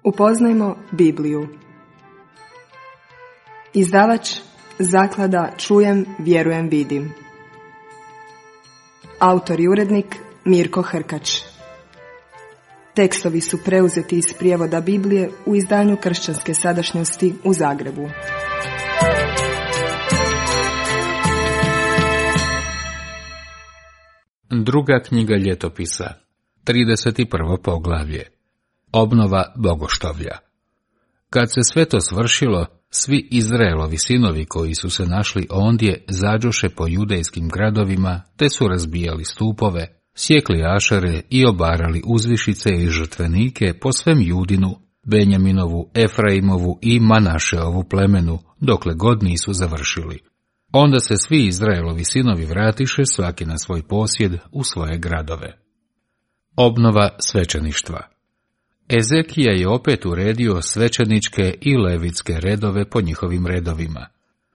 Upoznajmo Bibliju. Izdavač Zaklada Čujem, vjerujem, vidim. Autor i urednik Mirko Hrkač. Tekstovi su preuzeti iz prijevoda Biblije u izdanju Kršćanske sadašnjosti u Zagrebu. Druga knjiga ljetopisa, 31. poglavlje. Obnova bogoštovlja. Kad se sve to svršilo, svi Izraelovi sinovi koji su se našli ondje zađoše po judejskim gradovima, te su razbijali stupove, sjekli ašere i obarali uzvišice i žrtvenike po svem Judinu, Benjaminovu, Efraimovu i Manašeovu plemenu, dokle god nisu završili. Onda se svi Izraelovi sinovi vratiše svaki na svoj posjed u svoje gradove. Obnova svećeništva. Ezekija je opet uredio svećeničke i levitske redove po njihovim redovima.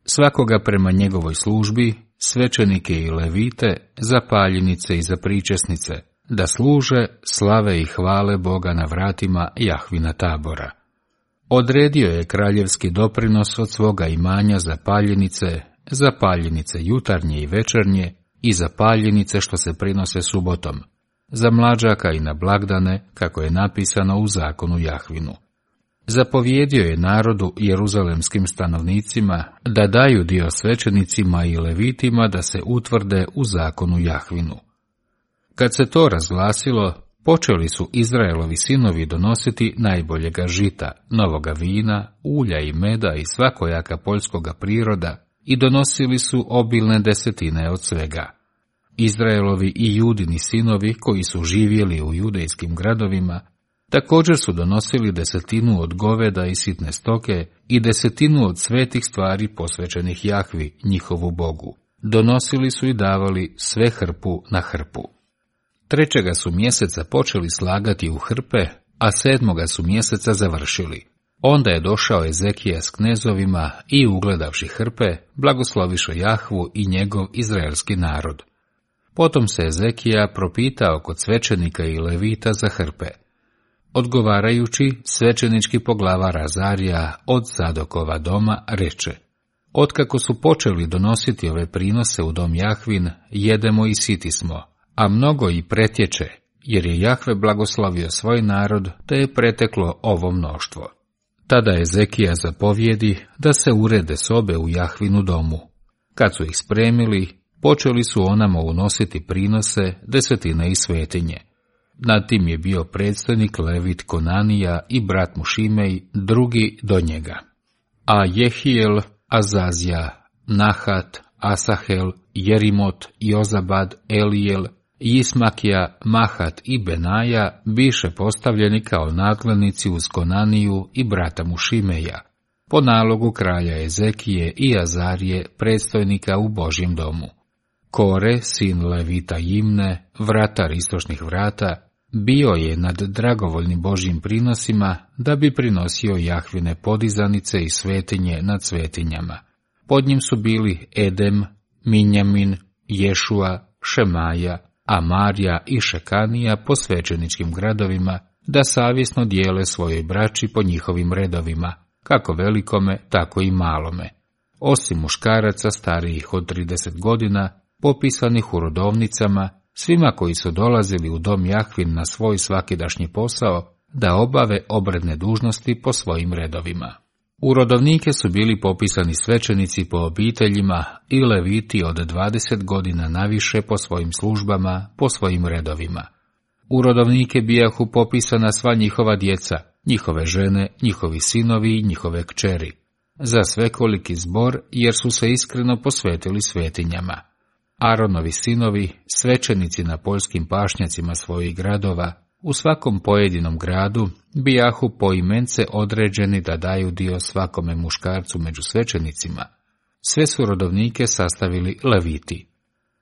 Svakoga prema njegovoj službi, svećenike i levite, za paljenice i za pričesnice, da služe, slave i hvale Boga na vratima Jahvina tabora. Odredio je kraljevski doprinos od svoga imanja za paljenice jutarnje i večernje i za paljenice što se prinose subotom, za mlađaka i na blagdane, kako je napisano u zakonu Jahvinu. Zapovjedio je narodu jeruzalemskim stanovnicima da daju dio svećenicima i levitima da se utvrde u zakonu Jahvinu. Kad se to razglasilo, počeli su Izraelovi sinovi donositi najboljega žita, novoga vina, ulja i meda i svakojaka poljskoga priroda i donosili su obilne desetine od svega. Izraelovi i Judini sinovi koji su živjeli u judejskim gradovima također su donosili desetinu od goveda i sitne stoke i desetinu od svetih stvari posvećenih Jahvi, njihovu Bogu. Donosili su i davali sve hrpu na hrpu. 3. su mjeseca počeli slagati u hrpe, a 7. su mjeseca završili. Onda je došao Ezekija s knezovima i ugledavši hrpe, blagosloviše Jahvu i njegov izraelski narod. Potom se Ezekija propitao kod svećenika i levita za hrpe. Odgovarajući, svećenički poglavar Azarija od Zadokova doma reče: Otkako su počeli donositi ove prinose u dom Jahvin, jedemo i siti smo, a mnogo i pretječe, jer je Jahve blagoslovio svoj narod, te je preteklo ovo mnoštvo. Tada Ezekija zapovjedi da se urede sobe u Jahvinu domu. Kad su ih spremili, počeli su onamo unositi prinose, desetine i svetinje. Nad tim je bio predstojnik Levit Konanija i brat mu Šimej, drugi do njega. A Jehijel, Azazija, Nahat, Asahel, Jerimot, Jozabad, Elijel, Ismakija, Mahat i Benaja biše postavljeni kao nadglednici uz Konaniju i brata mu Šimeja, po nalogu kralja Ezekije i Azarije, predstojnika u Božjem domu. Kore, sin Levita Jimne, vratar istočnih vrata, bio je nad dragovoljnim Božjim prinosima da bi prinosio Jahvine podizanice i svetinje nad svetinjama. Pod njim su bili Edem, Minjamin, Ješua, Šemaja, Amarja i Šekanija po svećeničkim gradovima, da savjesno dijele svojoj braći po njihovim redovima, kako velikome, tako i malome. Osim muškaraca starijih od 30 godina, popisanih u rodovnicama, svima koji su dolazili u dom Jahvin na svoj svakidašnji posao, da obave obredne dužnosti po svojim redovima. U rodovnike su bili popisani svećenici po obiteljima i leviti od 20 godina naviše po svojim službama, po svojim redovima. U rodovnike bijahu popisana sva njihova djeca, njihove žene, njihovi sinovi i njihove kćeri, za svekoliki zbor, jer su se iskreno posvetili svetinjama. Aronovi sinovi, svećenici na poljskim pašnjacima svojih gradova, u svakom pojedinom gradu bijahu poimence određeni da daju dio svakome muškarcu među svećenicima. Sve su rodovnike sastavili leviti.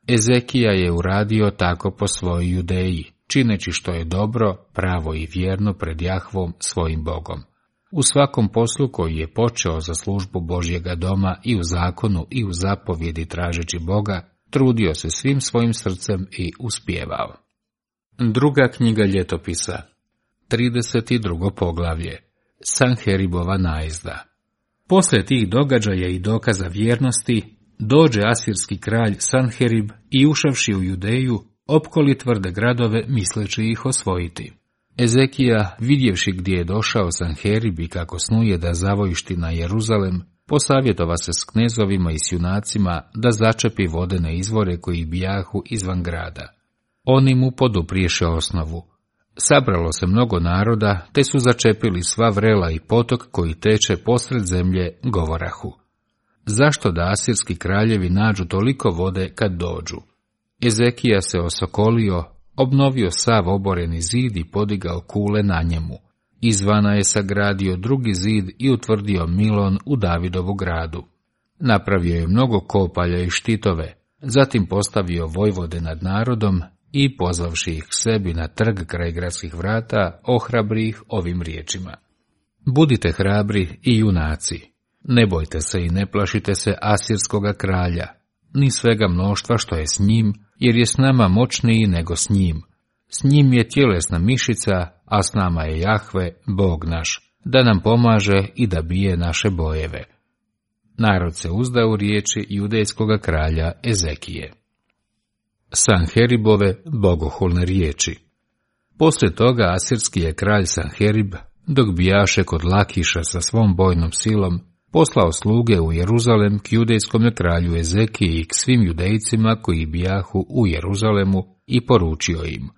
Ezekija je uradio tako po svojoj Judeji, čineći što je dobro, pravo i vjerno pred Jahvom svojim Bogom. U svakom poslu koji je počeo za službu Božjega doma i u zakonu i u zapovjedi tražeći Boga, trudio se svim svojim srcem i uspijevao. Druga knjiga ljetopisa, 32. poglavlje. Sanheribova najezda. Poslije tih događaja i dokaza vjernosti, dođe asirski kralj Sanherib i ušavši u Judeju, opkoli tvrde gradove misleći ih osvojiti. Ezekija, vidjevši gdje je došao Sanherib i kako snuje da zavojišti na Jeruzalem, posavjetova se s knezovima i s junacima da začepi vodene izvore koji bijahu izvan grada. Oni mu podupriješe osnovu. Sabralo se mnogo naroda, te su začepili sva vrela i potok koji teče posred zemlje, govorahu. Zašto da asirski kraljevi nađu toliko vode kad dođu? Ezekija se osokolio, obnovio sav oboreni zid i podigao kule na njemu. Izvana je sagradio drugi zid i utvrdio Milon u Davidovu gradu. Napravio je mnogo kopalja i štitove, zatim postavio vojvode nad narodom i, pozvavši ih sebi na trg kraj gradskih vrata, ohrabri ih ovim riječima. Budite hrabri i junaci, ne bojte se i ne plašite se asirskoga kralja, ni svega mnoštva što je s njim, jer je s nama moćniji nego s njim. S njim je tjelesna mišica, a s nama je Jahve, Bog naš, da nam pomaže i da bije naše bojeve. Narod se uzda u riječi judejskoga kralja Ezekije. Sanheribove bogohulne riječi. Poslije toga asirski je kralj Sanherib, dok bijaše kod Lakiša sa svom bojnom silom, poslao sluge u Jeruzalem k judejskom kralju Ezekiji i k svim judejcima koji bijahu u Jeruzalemu i poručio im.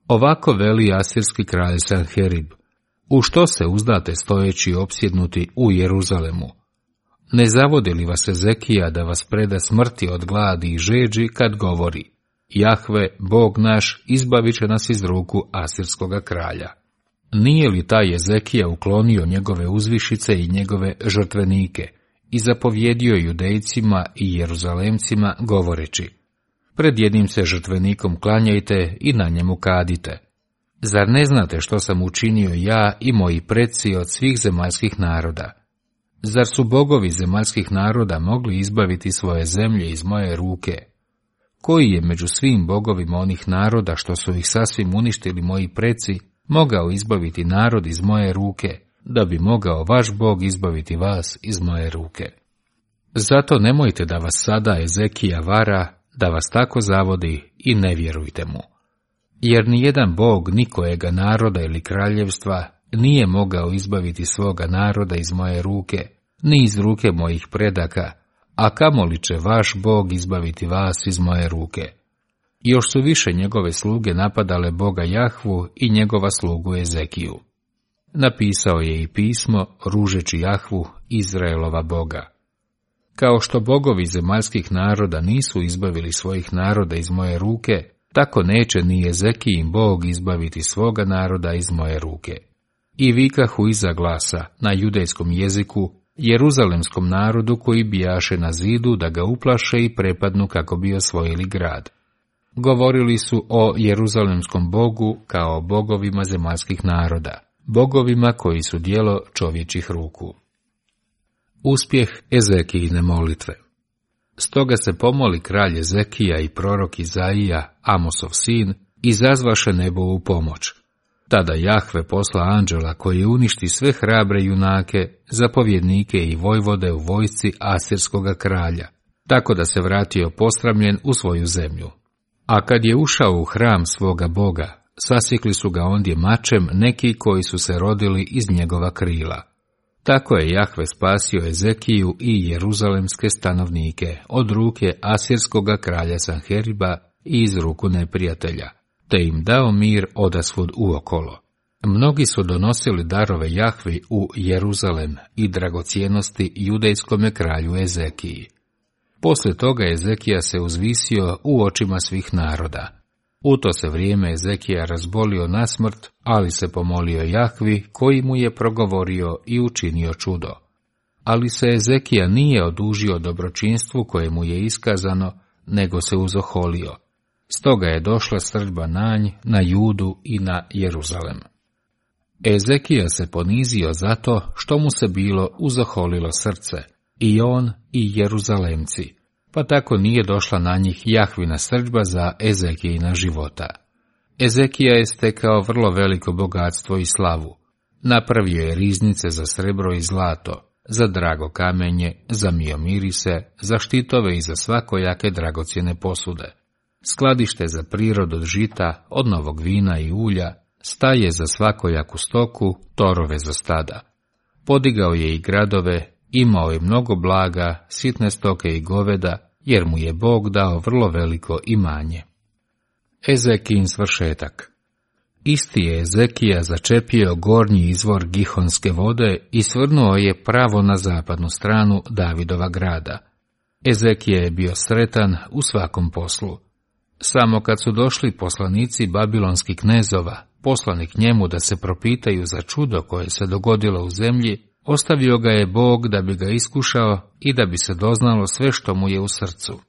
Ovako veli asirski kralj Sanherib, u što se uzdate stojeći opsjednuti u Jeruzalemu? Ne zavodi li vas Ezekija da vas preda smrti od gladi i žeđi kad govori, Jahve, Bog naš, izbavit će nas iz ruku asirskoga kralja? Nije li taj Ezekija uklonio njegove uzvišice i njegove žrtvenike i zapovjedio judejcima i Jeruzalemcima govoreći, pred jednim se žrtvenikom klanjajte i na njemu kadite. Zar ne znate što sam učinio ja i moji preci od svih zemaljskih naroda? Zar su bogovi zemaljskih naroda mogli izbaviti svoje zemlje iz moje ruke? Koji je među svim bogovima onih naroda što su ih sasvim uništili moji preci, mogao izbaviti narod iz moje ruke, da bi mogao vaš Bog izbaviti vas iz moje ruke? Zato nemojte da vas sada Ezekija vara, da vas tako zavodi i ne vjerujte mu. Jer nijedan Bog nikojega naroda ili kraljevstva nije mogao izbaviti svoga naroda iz moje ruke, ni iz ruke mojih predaka, a kamoli će vaš Bog izbaviti vas iz moje ruke. Još su više njegove sluge napadale Boga Jahvu i njegova slugu Ezekiju. Napisao je i pismo ružeći Jahvu, Izraelova Boga. Kao što bogovi zemaljskih naroda nisu izbavili svojih naroda iz moje ruke, tako neće ni Ezekijin Bog izbaviti svoga naroda iz moje ruke. I vikahu iza glasa na judejskom jeziku jeruzalemskom narodu koji bijaše na zidu da ga uplaše i prepadnu kako bi osvojili grad. Govorili su o jeruzalemskom Bogu kao o bogovima zemaljskih naroda, bogovima koji su djelo čovječih ruku. Uspjeh Ezekijine molitve. Stoga se pomoli kralj Ezekija i prorok Izaija, Amosov sin, izazvaše nebo u pomoć. Tada Jahve posla anđela koji uništi sve hrabre junake, zapovjednike i vojvode u vojsci asirskoga kralja, tako da se vratio posramljen u svoju zemlju. A kad je ušao u hram svoga Boga, sasjekli su ga ondje mačem neki koji su se rodili iz njegova krila. Tako je Jahve spasio Ezekiju i jeruzalemske stanovnike od ruke asirskoga kralja Sanheriba i iz ruku neprijatelja, te im dao mir odasvud uokolo. Mnogi su donosili darove Jahvi u Jeruzalem i dragocjenosti judejskome kralju Ezekiji. Poslije toga Ezekija se uzvisio u očima svih naroda. U to se vrijeme Ezekija razbolio na smrt, ali se pomolio Jahvi koji mu je progovorio i učinio čudo. Ali se Ezekija nije odužio dobročinstvu koje mu je iskazano, nego se uzoholio. Stoga je došla srdba na nj, na Judu i na Jeruzalem. Ezekija se ponizio zato što mu se bilo uzoholilo srce, i on i Jeruzalemci, pa tako nije došla na njih Jahvina srdba za Ezekijina života. Ezekija je stekao vrlo veliko bogatstvo i slavu. Napravio je riznice za srebro i zlato, za drago kamenje, za miomirise, za štitove i za svakojake dragocjene posude, skladište za prirod od žita, od novog vina i ulja, staje za svakojaku stoku, torove za stada. Podigao je i gradove, imao je mnogo blaga, sitne stoke i goveda, jer mu je Bog dao vrlo veliko imanje. Ezekijin svršetak. Isti je Ezekija začepio gornji izvor Gihonske vode i svrnuo je pravo na zapadnu stranu Davidova grada. Ezekija je bio sretan u svakom poslu. Samo kad su došli poslanici babilonskih knezova, poslani k njemu da se propitaju za čudo koje se dogodilo u zemlji, ostavio ga je Bog da bi ga iskušao i da bi se doznalo sve što mu je u srcu.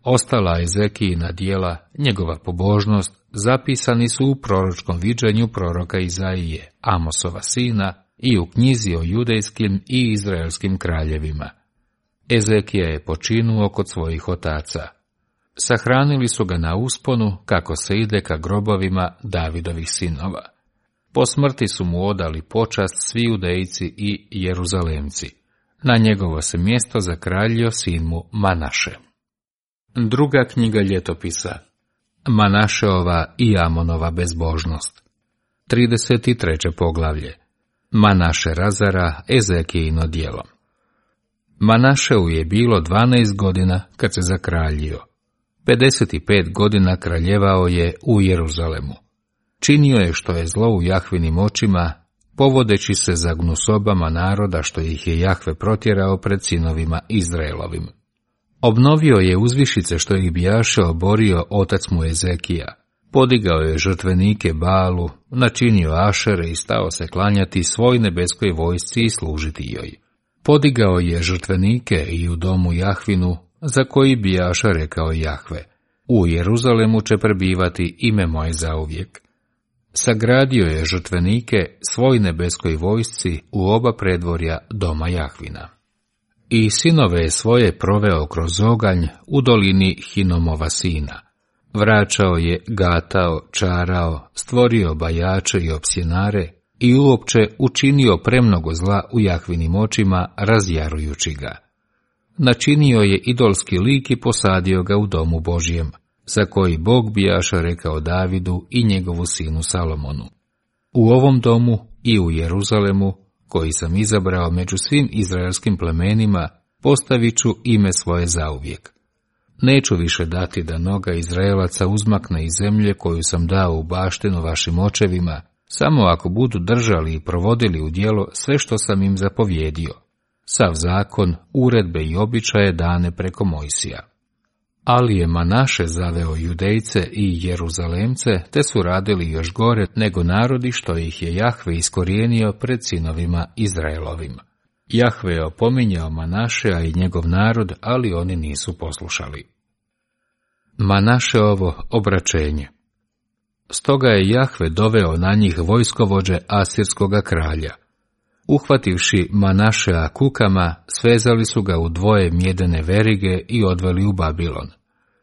Ostala Ezekijina djela, njegova pobožnost, zapisani su u proročkom viđenju proroka Izaije, Amosova sina, i u knjizi o judejskim i izraelskim kraljevima. Ezekija je počinuo kod svojih otaca. Sahranili su ga na usponu, kako se ide ka grobovima Davidovih sinova. Po smrti su mu odali počast svi Judejci i Jeruzalemci. Na njegovo se mjesto zakraljio sin mu Manaše. Druga knjiga ljetopisa. Manašeova i Amonova bezbožnost. 33. poglavlje. Manaše razara Ezekijino djelo. Manašeu je bilo 12 godina kad se zakraljio. 55 godina kraljevao je u Jeruzalemu. Činio je što je zlo u Jahvinim očima, povodeći se za gnusobama naroda što ih je Jahve protjerao pred sinovima Izraelovim. Obnovio je uzvišice što ih bijaše oborio otac mu Ezekija. Podigao je žrtvenike Balu, načinio Ašere i stao se klanjati svoj nebeskoj vojsci i služiti joj. Podigao je žrtvenike i u domu Jahvinu, za koji bijaša rekao Jahve: u Jeruzalemu će prebivati ime moje zauvijek. Sagradio je žrtvenike svoj nebeskoj vojsci u oba predvorja doma Jahvina. I sinove svoje proveo kroz oganj u dolini Hinomova sina. Vraćao je, gatao, čarao, stvorio bajače i opsjenare i uopće učinio premnogo zla u Jahvinim očima, razjarujući ga. Načinio je idolski lik i posadio ga u domu Božjem, za koji Bog bijaša rekao Davidu i njegovu sinu Salomonu: u ovom domu i u Jeruzalemu, koji sam izabrao među svim izraelskim plemenima, postavit ću ime svoje zauvijek. Neću više dati da noga Izraelaca uzmakne iz zemlje koju sam dao u baštinu vašim očevima, samo ako budu držali i provodili u djelo sve što sam im zapovjedio, sav zakon, uredbe i običaje dane preko Mojsija. Ali je Manaše zaveo Judejce i Jeruzalemce, te su radili još gore nego narodi što ih je Jahve iskorijenio pred sinovima Izraelovim. Jahve je opominjao Manašea i njegov narod, ali oni nisu poslušali. Manašeovo obraćenje. Stoga je Jahve doveo na njih vojskovođe asirskoga kralja. Uhvativši Manašea kukama, svezali su ga u dvoje mjedene verige i odveli u Babilon.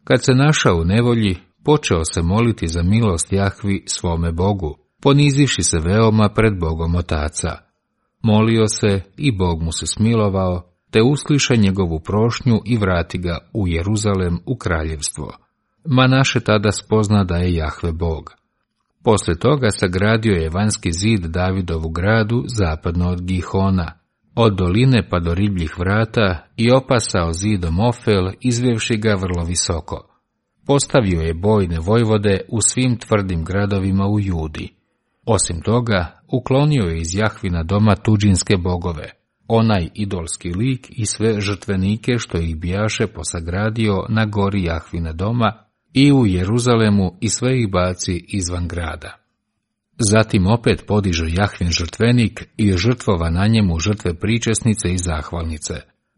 Kad se našao u nevolji, počeo se moliti za milost Jahvi svome Bogu, ponizivši se veoma pred Bogom otaca. Molio se i Bog mu se smilovao, te usliša njegovu prošnju i vrati ga u Jeruzalem u kraljevstvo. Manaše tada spozna da je Jahve Bog. Poslije toga sagradio je vanjski zid Davidovu gradu zapadno od Gihona, od doline pa do ribljih vrata, i opasao zidom Ofel, izvevši ga vrlo visoko. Postavio je bojne vojvode u svim tvrdim gradovima u Judi. Osim toga, uklonio je iz Jahvina doma tuđinske bogove, onaj idolski lik i sve žrtvenike što ih bijaše posagradio na gori Jahvina doma i u Jeruzalemu, i sve ih baci izvan grada. Zatim opet podiže Jahvin žrtvenik i žrtvova na njemu žrtve pričesnice i zahvalnice.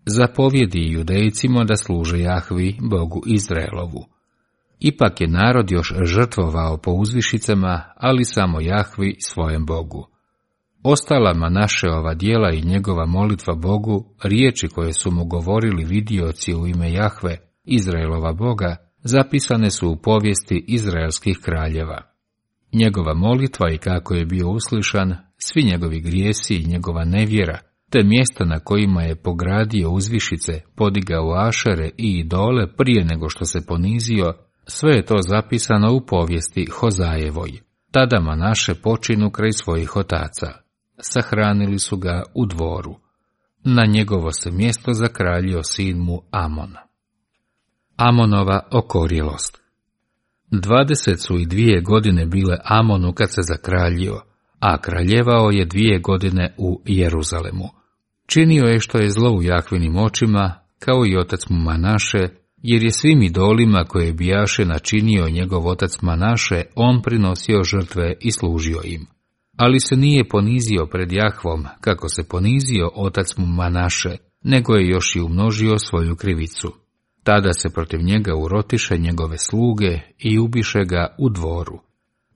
Zapovjedi Judejcima da služe Jahvi, Bogu Izraelovu. Ipak je narod još žrtvovao po uzvišicama, ali samo Jahvi svojem Bogu. Ostala Manašeova djela i njegova molitva Bogu, riječi koje su mu govorili vidioci u ime Jahve, Izraelova Boga, zapisane su u povijesti izraelskih kraljeva. Njegova molitva i kako je bio uslišan, svi njegovi grijesi i njegova nevjera, te mjesta na kojima je pogradio uzvišice, podigao ašere i idole prije nego što se ponizio, sve je to zapisano u povijesti Hozajevoj. Tada Manaše počinu kraj svojih otaca. Sahranili su ga u dvoru. Na njegovo se mjesto zakraljio sin mu Amon. Amonova okorjelost. 22 godine bile Amonu kad se zakraljio, a kraljevao je 2 godine u Jeruzalemu. Činio je što je zlo u Jahvinim očima, kao i otac mu Manaše, jer je svim idolima koje bijaše načinio njegov otac Manaše, on prinosio žrtve i služio im. Ali se nije ponizio pred Jahvom, kako se ponizio otac mu Manaše, nego je još i umnožio svoju krivicu. Tada se protiv njega urotiše njegove sluge i ubiše ga u dvoru.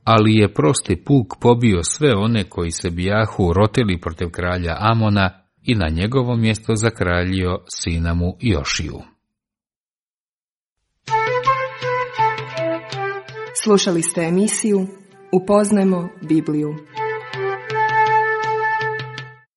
Ali je prosti puk pobio sve one koji se bijahu urotili protiv kralja Amona i na njegovo mjesto zakraljio sina mu Jošiju. Slušali ste emisiju Upoznajmo Bibliju.